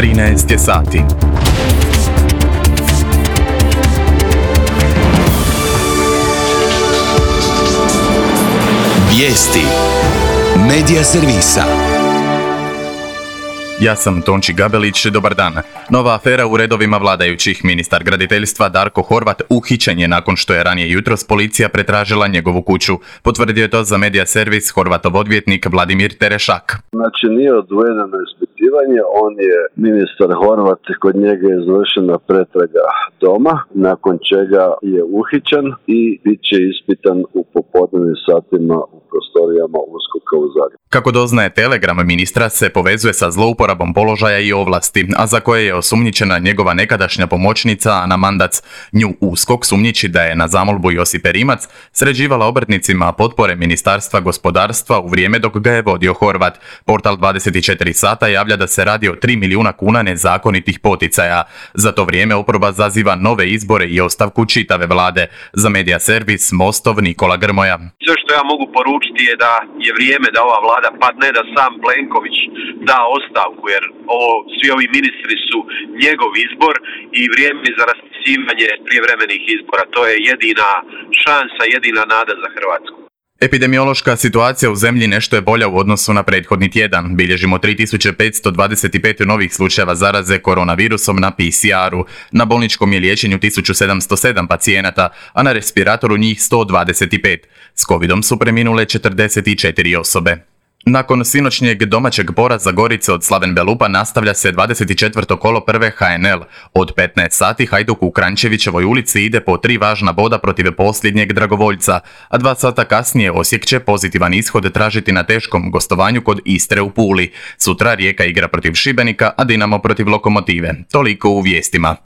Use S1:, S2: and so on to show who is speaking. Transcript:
S1: 13 je sati.
S2: Vijesti Medija servisa.
S1: Ja sam Tonči Gabelić, dobar dan. Nova afera u redovima vladajućih. Ministar graditeljstva Darko Horvat uhićen je nakon što je ranije jutros policija pretražila njegovu kuću. Potvrdio je to za Medija servis Horvatov odvjetnik Vladimir Terešak.
S3: Znači nije odvojeno na ispitivanje, on je ministar Horvat, kod njega je izvršena pretraga doma, nakon čega je uhićen i bit će ispitan u popodnevnim satima u prostorijama USKOK-a u Zagrebu.
S1: Kako doznaje Telegram, ministra se povezuje sa zlouporabom položaja i ovlasti, a za koje je osumnjičena njegova nekadašnja pomoćnica Ana Mandac. Nju USKOK sumnjiči da je na zamolbu Josipe Rimac sređivala obrtnicima potpore Ministarstva gospodarstva u vrijeme dok ga je vodio Horvat. Portal 24 sata javlja da se radi o 3 milijuna kuna nezakonitih poticaja. Za to vrijeme oporba zaziva nove izbore i ostavku čitave vlade. Za Medija servis Mostov Nikola Grmoja.
S4: Sve što ja mogu poručiti je da je vrijeme da ova vlada padne, da sam Plenković da ostavku, jer svi ovi ministri su njegov izbor i vrijeme za raspisivanje prijevremenih izbora. To je jedina šansa, jedina nada za Hrvatsku.
S1: Epidemiološka situacija u zemlji nešto je bolja u odnosu na prethodni tjedan. Bilježimo 3525 novih slučajeva zaraze koronavirusom na PCR-u. Na bolničkom je liječenju 1707 pacijenata, a na respiratoru njih 125. S covidom su preminule 44 osobe. Nakon sinoćnjeg domaćeg poraza Gorice od Slaven Belupa nastavlja se 24. kolo prve HNL. Od 15 sati Hajduk u Kranjčevićevoj ulici ide po 3 važna boda protiv posljednjeg dragovoljca, a 2 sata kasnije Osijek će pozitivan ishod tražiti na teškom gostovanju kod Istre u Puli. Sutra Rijeka igra protiv Šibenika, a Dinamo protiv Lokomotive. Toliko u vijestima.